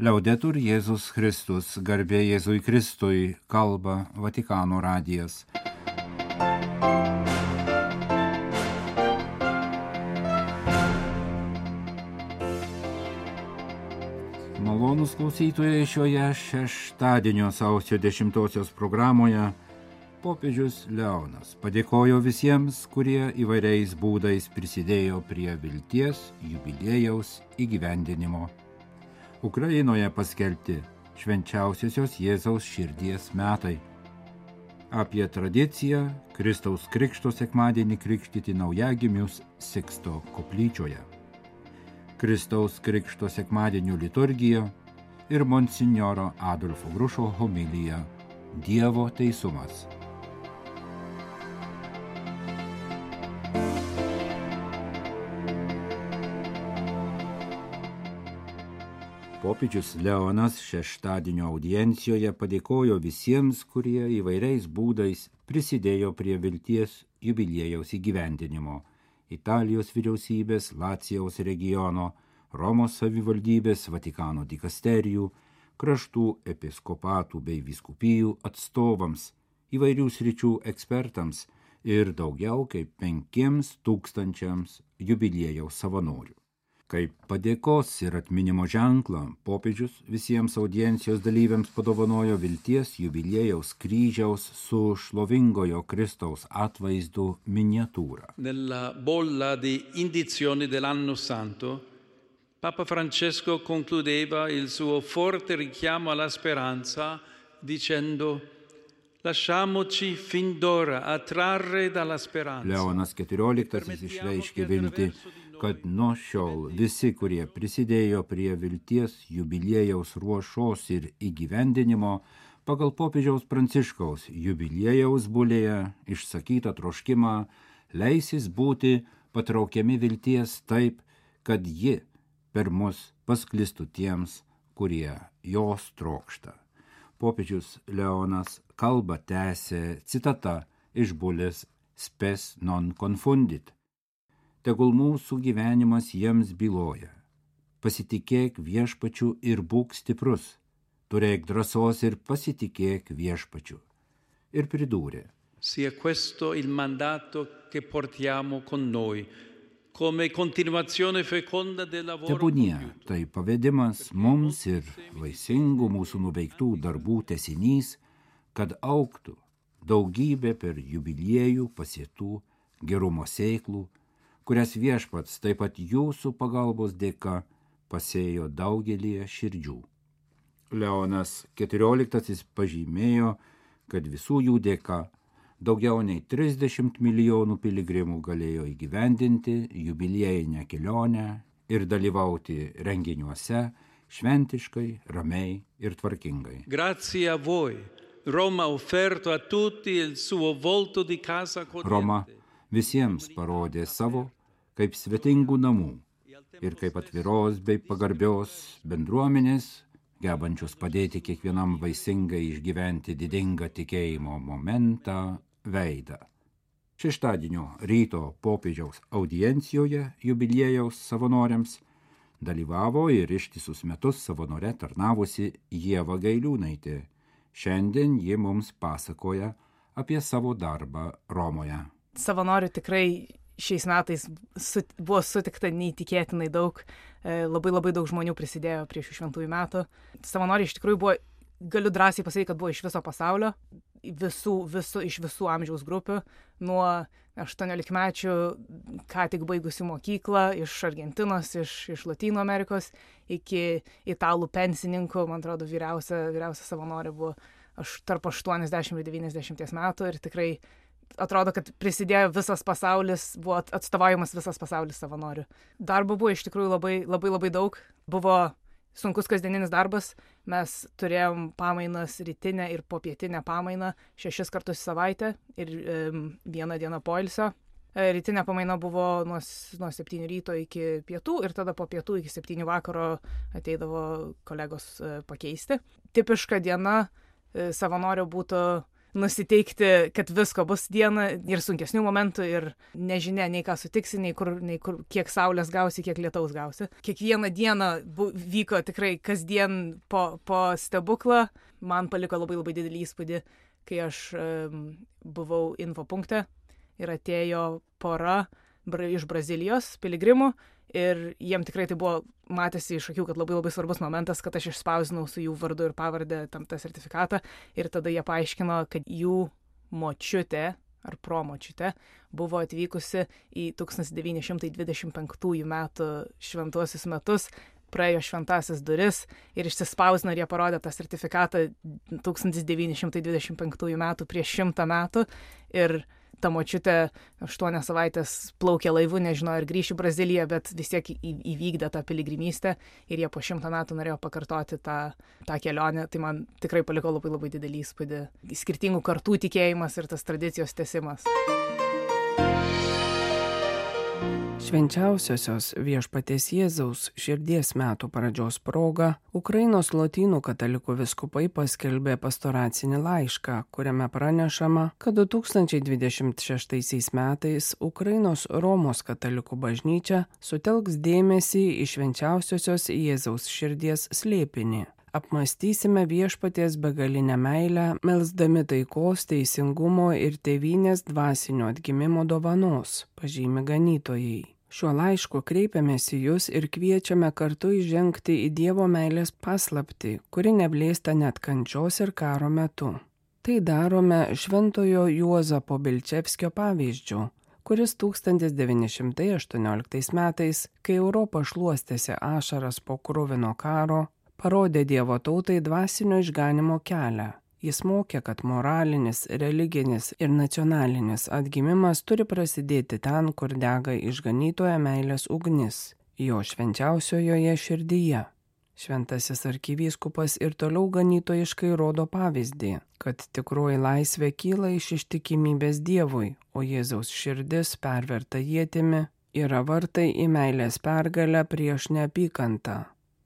Liaudetur Jėzus Kristus, garbė Jėzui Kristui, kalba Vatikano radijas. Malonūs klausytojai, šioje šeštadienio sausio 10 programoje popiežius Leonas padėkojo visiems, kurie įvairiais būdais prisidėjo prie vilties jubiliejaus įgyvendinimo. Ukrainoje paskelbti švenčiausiosios Jėzaus širdies metai. Apie tradiciją Kristaus Krikšto sekmadienį krikštyti naujagimius Siksto koplyčioje. Kristaus Krikšto sekmadienio liturgija ir monsinjoro Adolfo Grušo homilija Dievo teisumas. Popiežius Leonas šeštadienio audiencijoje padėkojo visiems, kurie įvairiais būdais prisidėjo prie vilties jubiliejaus įgyvendinimo. Italijos vyriausybės, Lacijaus regiono, Romos savivaldybės, Vatikano dikasterijų, kraštų episkopatų bei vyskupijų atstovams, įvairių sričių ekspertams ir daugiau kaip 5,000 jubiliejaus savanorių. Kaip padėkos ir atminimo ženklą, popiežius visiems audiencijos dalyviams padovanojo vilties jubiliejaus kryžiaus su šlovingojo Kristaus atvaizdu miniatūrą. Nella bolla di indizioni dell'anno santo, Papa Francesco concludeva il suo forte richiamo alla speranza dicendo: lasciamoci fin d'ora attrarre dalla speranza. Leonas XIV išreiškė viltį, kad nuo šiol visi, kurie prisidėjo prie vilties jubiliejaus ruošos ir įgyvendinimo, pagal popiežiaus Pranciškaus jubiliejaus bulėje išsakytą troškimą, leisis būti patraukiami vilties taip, kad ji per mus pasklistų tiems, kurie jos trokšta. Popiežius Leonas kalbą tęsė citata iš bulės Spes non confundit. Tegul mūsų gyvenimas jiems byloja. Pasitikėk viešpačiu ir būk stiprus. Turėk drąsos ir pasitikėk viešpačiu. Ir pridūrė: Sia questo il mandato che portiamo con noi, come continuazione feconda del lavoro Tebūnie, compiuto. tai pavedimas mums ir vaisingų mūsų nuveiktų darbų tęsinys, kad augtų daugybė per jubiliejų pasėtų gerumo sėklų, kurias viešpats taip pat jūsų pagalbos dėka pasėjo daugelį širdžių. Leonas XIV pažymėjo, kad visų jų dėka daugiau nei 30 milijonų piligrimų galėjo įgyvendinti jubiliejinę kelionę ir dalyvauti renginiuose šventiškai, ramiai ir tvarkingai. Grazie a voi, Roma ha offerto a tutti il suo volto di casa accogliente. Roma visiems parodė savo kaip svetingų namų ir kaip atviros bei pagarbios bendruomenės, gebančios padėti kiekvienam vaisingai išgyventi didingą tikėjimo momentą, veidą. Šeštadienio ryto popiežiaus audiencijoje jubiliejaus savanoriams dalyvavo ir ištisus metus savanore tarnavusi Ieva Gailiūnaitė. Šiandien ji mums pasakoja apie savo darbą Romoje. Savanorių tikrai šiais metais buvo sutikta neįtikėtinai daug, labai daug žmonių prisidėjo prie šių šventųjų metų. Savanoriai iš tikrųjų buvo, galiu drąsiai pasakyti, kad buvo iš viso pasaulio, iš visų amžiaus grupių, nuo 18-mečių, ką tik baigusių mokyklą, iš Argentinos, iš Lotynų Amerikos, iki italų pensininkų, man atrodo, vyriausia savanorė buvo tarp 80 ir 90 metų ir tikrai atrodo, kad prisidėjo visas pasaulis, buvo atstovaujamas visas pasaulis savanorių. Darbo buvo iš tikrųjų labai daug. Buvo sunkus kasdieninis darbas. Mes turėjom pamainas rytinę ir popietinę pamainą 6 kartus į savaitę ir 1 dieną poilsio. Rytinė pamaina buvo nuo 7 ryto iki pietų ir tada po pietų iki 7 vakaro ateidavo kolegos pakeisti. Tipiška diena savanorio būtų nusiteikti, kad visko bus dieną ir sunkesnių momentų ir nežinia, nei ką sutiksi, nei kur, kiek saulės gausi, kiek lietaus gausi. Kiekvieną dieną vyko tikrai kasdien po stebuklą. Man paliko labai didelį įspūdį, kai aš buvau infopunkte ir atėjo pora iš Brazilijos piligrimų ir jiem tikrai tai buvo, matėsi iš akių, kad labai svarbus momentas, kad aš išspausdinau su jų vardu ir pavardę tam tą sertifikatą ir tada jie paaiškino, kad jų močiutė ar promočiutė buvo atvykusi į 1925 metų šventuosius metus, praėjo šventąsias duris ir išsispausdino ir jie parodė tą sertifikatą 1925 metų prieš 100 metų ir ta močiutė 8 savaitės plaukė laivu, nežinojo ir grįš į Braziliją, bet vis tiek įvykdė tą piligrimystę ir jie po 100 metų norėjo pakartoti tą kelionę. Tai man tikrai paliko labai didelį įspūdį. Skirtingų kartų tikėjimas ir tas tradicijos tęsimas. Švenčiausiosios Viešpaties Jėzaus širdies metų pradžios proga Ukrainos lotynų katalikų vyskupai paskelbė pastoracinį laišką, kuriame pranešama, kad 2026 metais Ukrainos Romos katalikų bažnyčia sutelks dėmesį į švenčiausiosios Jėzaus širdies slėpinį. Apmąstysime Viešpaties begalinę meilę, melsdami taikos, teisingumo ir tėvynės dvasinio atgimimo dovanos, pažymi ganytojai. Šiuo laišku kreipiamės į jūs ir kviečiame kartu įžengti į Dievo meilės paslaptį, kuri neblėsta net kančios ir karo metu. Tai darome šventojo Juozapo Bilčevskio pavyzdžiu, kuris 1918 metais, kai Europa šluostėsi ašaras po kruvino karo, parodė Dievo tautai dvasinio išganimo kelią. Jis mokė, kad moralinis, religinis ir nacionalinis atgimimas turi prasidėti ten, kur dega išganytojo meilės ugnis, jo švenčiausiojoje širdyje. Šventasis arkivyskupas ir toliau ganytojiškai rodo pavyzdį, kad tikroji laisvė kyla iš ištikimybės Dievui, o Jėzaus širdis perverta ietimi yra vartai į meilės pergalę prieš neapykantą.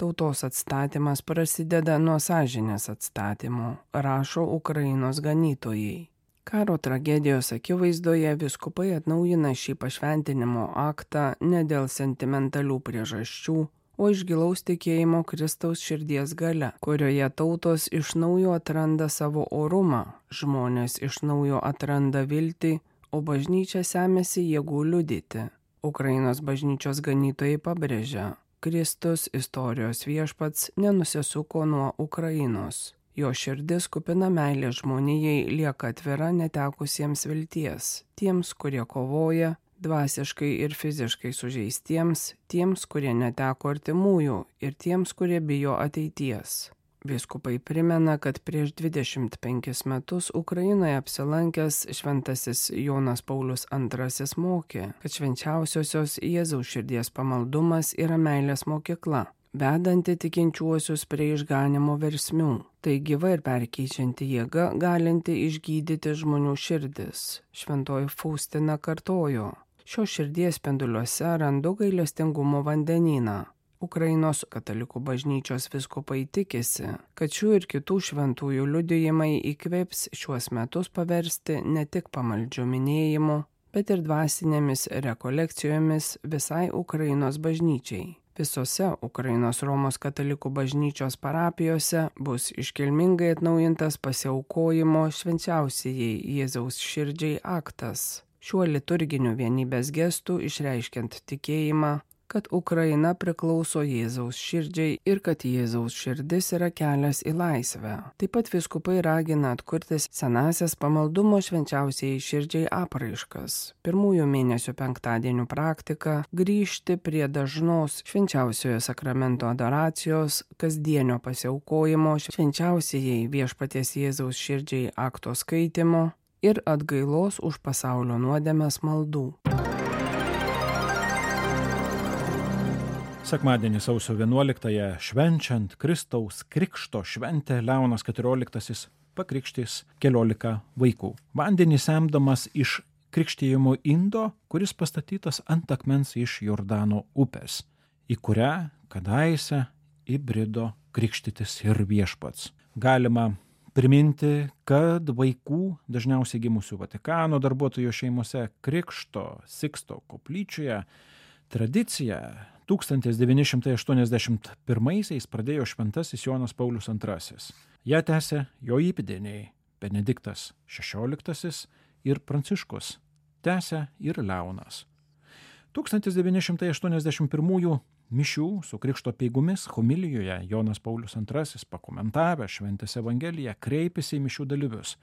Tautos atstatymas prasideda nuo sąžinės atstatymo, rašo Ukrainos ganytojai. Karo tragedijos akivaizdoje vyskupai atnaujina šį pašventinimo aktą ne dėl sentimentalių priežasčių, o iš gilaus tikėjimo Kristaus širdies galia, kurioje tautos iš naujo atranda savo orumą, žmonės iš naujo atranda viltį, o bažnyčia semiasi jėgų liudyti. Ukrainos bažnyčios ganytojai pabrėžia, Kristus, istorijos viešpats, nenusisuko nuo Ukrainos. Jo širdis kupina meilės žmonijai lieka atvira netekusiems vilties, tiems, kurie kovoja, dvasiškai ir fiziškai sužeistiems, tiems, kurie neteko artimųjų ir tiems, kurie bijo ateities. Vyskupai primena, kad prieš 25 metus Ukrainoje apsilankęs šventasis Jonas Paulius II mokė, kad švenčiausiosios Jėzaus širdies pamaldumas yra meilės mokykla, vedanti tikinčiuosius prie išganimo versmių. Tai gyva ir perkeičianti jėga, galinti išgydyti žmonių širdis. Šventoji Faustina kartojo, šios širdies spinduliuose randu gailestingumo vandenyną. Ukrainos katalikų bažnyčios vyskupai tikisi, kad šių ir kitų šventųjų liudijimai įkvėps šiuos metus paversti ne tik pamaldžių minėjimu, bet ir dvasinėmis rekolekcijomis visai Ukrainos bažnyčiai. Visose Ukrainos Romos katalikų bažnyčios parapijose bus iškilmingai atnaujintas pasiaukojimo švenčiausiajai Jėzaus širdžiai aktas. Šiuo liturginiu vienybės gestu išreiškiant tikėjimą, kad Ukraina priklauso Jėzaus širdžiai ir kad Jėzaus širdis yra kelias į laisvę. Taip pat vyskupai ragina atkurti senąsias pamaldumo švenčiausiai širdžiai apraiškas. Pirmųjų mėnesių penktadienių praktika grįžti prie dažnos švenčiausiojo sakramento adoracijos, kasdienio pasiaukojimo švenčiausiai Viešpaties Jėzaus širdžiai akto skaitimo ir atgailos už pasaulio nuodėmes maldų. Sekmadienį sausio 11-ąją švenčiant Kristaus krikšto šventę Leonas XIV pakrikštys 14 vaikų. Vandenį semdamas iš krikštijimo indo, kuris pastatytas ant akmens iš Jordano upės, į kurią kadaise įbrido krikštytis ir Viešpats. Galima priminti, kad vaikų, dažniausiai gimusių Vatikano darbuotojų šeimose, Krikšto Siksto koplyčioje tradiciją 1981 pradėjo šventasis Jonas Paulius II. Ja tęsė jo įpėdiniai Benediktas XVI ir Pranciškus, tęsė ir Leonas. 1981 mišių su Krikšto apeigomis homilijoje Jonas Paulius II pakomentavę šventės Evangeliją kreipėsi į mišių dalyvius,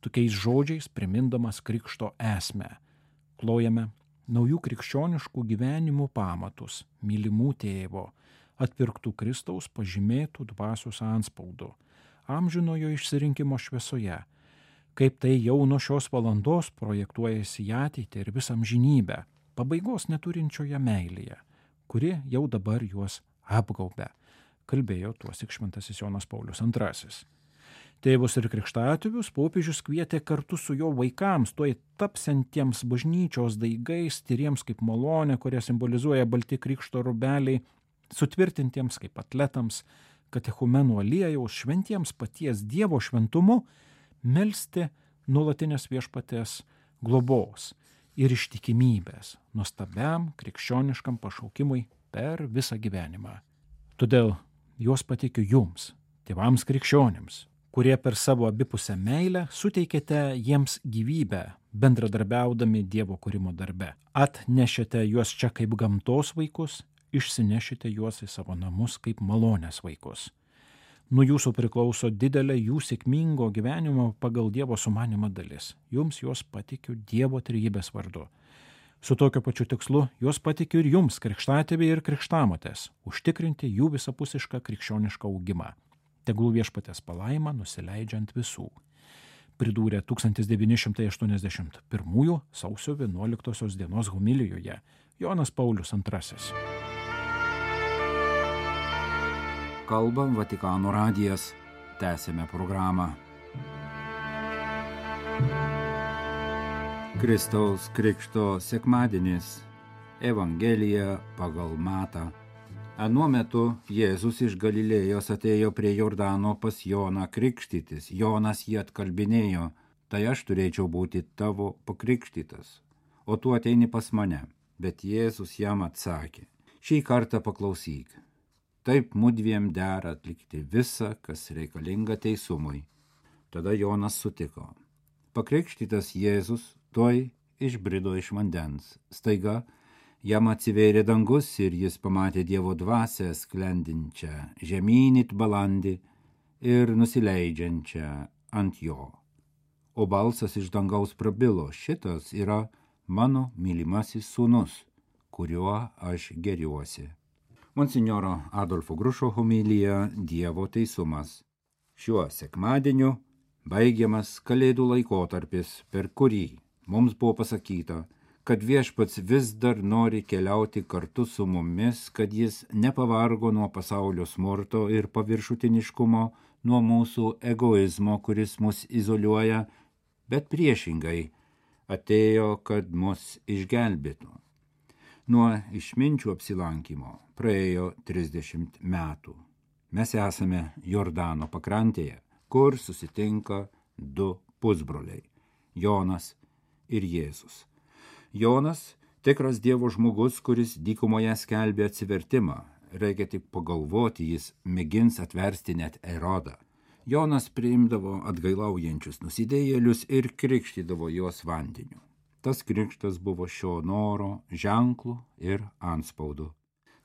tokiais žodžiais primindamas Krikšto esmę. Klojame naujų krikščioniškų gyvenimų pamatus, mylimų tėvo, atpirktų Kristaus pažymėtų dvasios antspaudu, amžinojo išsirinkimo šviesoje, kaip tai jau nuo šios valandos projektuojasi į ateitį ir visą amžinybę, pabaigos neturinčioje meilėje, kuri jau dabar juos apgaubia, kalbėjo tuosik šventasis Jonas Paulius II. Tėvus ir krikštatėvius popiežius kvietė kartu su jo vaikams, tuoj tapsiantiems bažnyčios daigais, tyriems kaip malonė, kurie simbolizuoja balti krikšto rūbeliai, sutvirtintiems kaip atletams, katechumenų aliejaus, šventiems paties Dievo šventumu, melsti nuolatinės viešpaties globos ir ištikimybės nuostabiam krikščioniškam pašaukimui per visą gyvenimą. Todėl juos pateikiu jums, tėvams krikščionims, kurie per savo abipusę meilę suteikėte jiems gyvybę, bendradarbiaudami Dievo kūrimo darbe. Atnešėte juos čia kaip gamtos vaikus, išsinešite juos į savo namus kaip malonės vaikus. Nuo jūsų priklauso didelė jų sėkmingo gyvenimo pagal Dievo sumanimą dalis. Jums juos patikiu Dievo trejybės vardu. Su tokiu pačiu tikslu juos patikiu ir jums, krikštatėviai ir krikštamotės, užtikrinti jų visapusišką krikščionišką augimą. Tegul viešpaties palaima nusileidžiant visų. Pridūrė 1981 sausio 11 dienos homilijoje Jonas Paulius II. Kalba Vatikano radijas. Tęsėme programą. Kristaus Krikšto sekmadienis. Evangelija pagal Matą. Anuo metu Jėzus iš Galilėjos atėjo prie Jordano pas Joną krikštytis. Jonas jį atkalbinėjo, tai aš turėčiau būti tavo pakrikštytas, o tu ateini pas mane. Bet Jėzus jam atsakė, šį kartą paklausyk. Taip mudviem dera atlikti visą, kas reikalinga teisumui. Tada Jonas sutiko. Pakrikštytas Jėzus tuoj išbrido iš vandens. Staiga jam atsivėrė dangus ir jis pamatė Dievo dvasią sklendinčią žemyn it balandį ir nusileidžiančią ant jo. O balsas iš dangaus prabilo, šitas yra mano mylimasis sūnus, kuriuo aš geriuosi. Monsinjoro Adolfo Grušo homilija Dievo teisumas. Šiuo sekmadieniu baigiamas Kalėdų laikotarpis, per kurį mums buvo pasakyta, kad viešpats vis dar nori keliauti kartu su mumis, kad jis nepavargo nuo pasaulio smurto ir paviršutiniškumo, nuo mūsų egoizmo, kuris mus izoliuoja, bet priešingai atėjo, kad mus išgelbėtų. Nuo išminčių apsilankimo praėjo 30 metų. Mes esame Jordano pakrantėje, kur susitinka du pusbroliai – Jonas ir Jėzus. Jonas – tikras Dievo žmogus, kuris dykumoje skelbė atsivertimą. Reikia tik pagalvoti, jis mėgins atversti net Erodą. Jonas priimdavo atgailaujančius nusidėjėlius ir krikštydavo juos vandeniu. Tas krikštas buvo šio noro, ženklų ir antspaudu.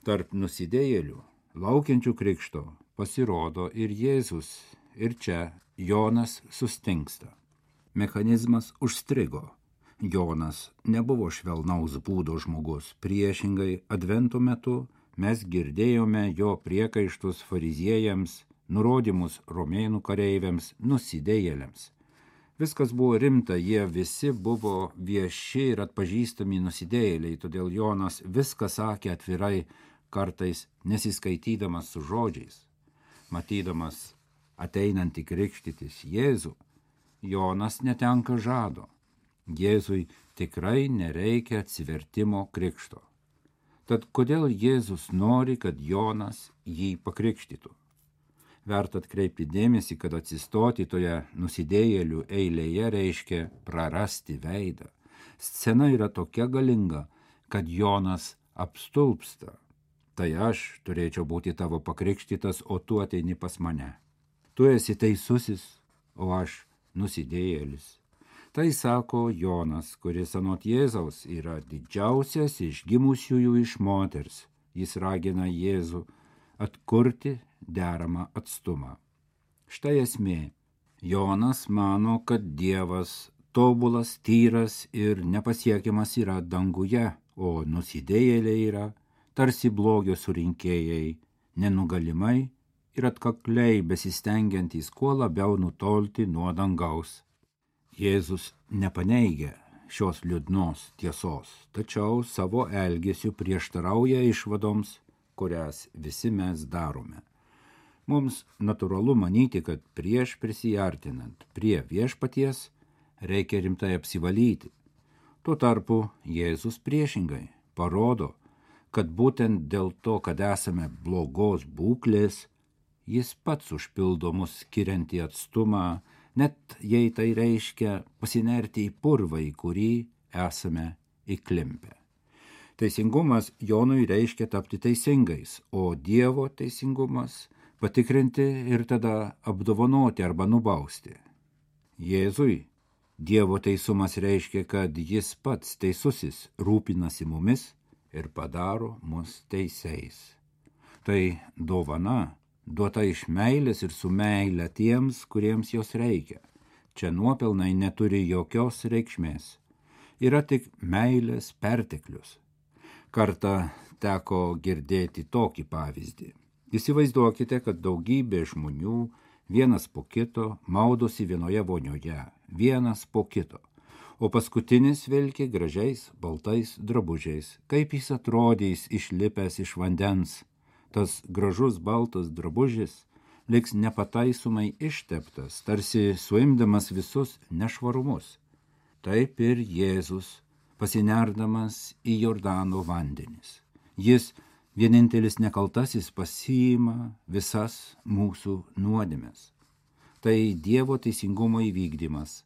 Tarp nusidėjėlių, laukiančių krikšto, pasirodo ir Jėzus, ir čia Jonas sustingsta. Mechanizmas užstrigo. Jonas nebuvo švelnaus būdo žmogus. Priešingai, advento metu mes girdėjome jo priekaištus fariziejams, nurodymus romėnų kareiviams, nusidėjėliams. Viskas buvo rimta, jie visi buvo vieši ir atpažįstami nusidėjėliai, todėl Jonas viską sakė atvirai, kartais nesiskaitydamas su žodžiais. Matydamas ateinantį krikštytis Jėzų, Jonas netenka žado. Jėzui tikrai nereikia atsivertimo krikšto. Tad kodėl Jėzus nori, kad Jonas jį pakrikštytų? Verta atkreipti dėmesį, kad atsistoti toje nusidėjėlių eilėje reiškia prarasti veidą. Scena yra tokia galinga, kad Jonas apstulpsta. Tai aš turėčiau būti tavo pakrikštytas, o tu ateini pas mane. Tu esi teisusis, o aš nusidėjėlis. Tai sako Jonas, kuris anot Jėzaus yra didžiausias iš gimusiųjų iš moters. Jis ragina Jėzų atkurti deramą atstumą. Štai esmė. Jonas mano, kad Dievas tobulas, tyras ir nepasiekiamas yra danguje, o nusidėjėliai yra tarsi blogio surinkėjai, nenugalimai ir atkakliai besistengiantys kuo labiau nutolti nuo dangaus. Jėzus nepaneigia šios liūdnos tiesos, tačiau savo elgesiu prieštarauja išvadoms, kurias visi mes darome. Mums natūralu manyti, kad prieš prisiartinant prie viešpaties reikia rimtai apsivalyti. Tuo tarpu Jėzus priešingai parodo, kad būtent dėl to, kad esame blogos būklės, jis pats užpildo mus skiriantį atstumą, net jei tai reiškia pasinerti į purvą, į kurį esame įklimpę. Teisingumas Jonui reiškia tapti teisingais, o Dievo teisingumas patikrinti ir tada apdovanoti arba nubausti. Jėzui Dievo teisumas reiškia, kad jis pats teisusis rūpinasi mumis ir padaro mus teisiais. Tai dovana duota iš meilės ir su meile tiems, kuriems jos reikia. Čia nuopelnai neturi jokios reikšmės. Yra tik meilės perteklius. Kartą teko girdėti tokį pavyzdį. Įsivaizduokite, kad daugybė žmonių vienas po kito maudosi vienoje vonioje, vienas po kito, o paskutinis vilki gražiais baltais drabužiais. Kaip jis atrodys išlipęs iš vandens? Tas gražus baltas drabužis liks nepataisomai išteptas, tarsi suimdamas visus nešvarumus. Taip ir Jėzus, pasinerdamas į Jordano vandenis. Jis, vienintelis nekaltasis, pasiima visas mūsų nuodėmes. Tai Dievo teisingumo įvykdymas.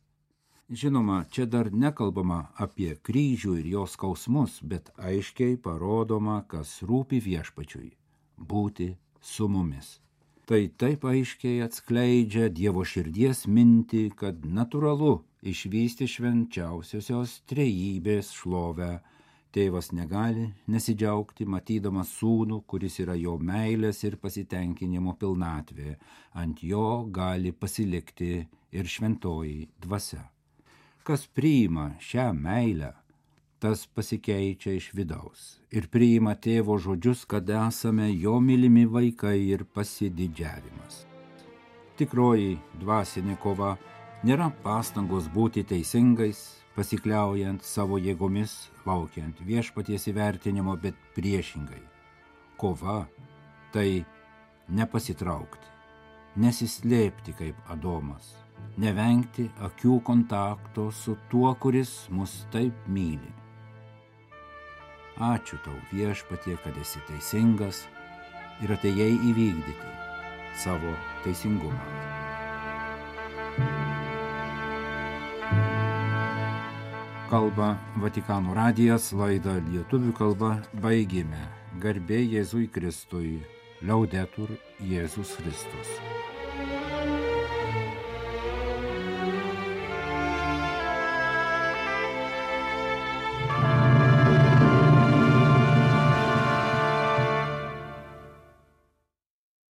Žinoma, čia dar nekalbama apie kryžių ir jo skausmus, bet aiškiai parodoma, kas rūpi viešpačiui – būti su mumis. Tai taip aiškiai atskleidžia Dievo širdies mintį, kad natūralu išvysti švenčiausiosios trejybės šlovę. Tėvas negali nesidžiaugti, matydamas sūnų, kuris yra jo meilės ir pasitenkinimo pilnatvė. Ant jo gali pasilikti ir šventoji dvasia. Kas priima šią meilę, tas pasikeičia iš vidaus ir priima tėvo žodžius, kad esame jo mylimi vaikai ir pasididžiavimas. Tikroji dvasinė kova nėra pastangos būti teisingais, pasikliaujant savo jėgomis, laukiant viešpaties įvertinimo, bet priešingai. Kova tai nepasitraukti, nesislėpti kaip Adomas, nevengti akių kontakto su tuo, kuris mus taip myli. Ačiū tau, viešpatie, kad esi teisingas ir atėjai įvykdyti savo teisingumą. Kalba Vatikano radijas, laidą lietuvių kalba baigėme. Garbė Jėzui Kristui, Liaudetur Jėzus Kristus.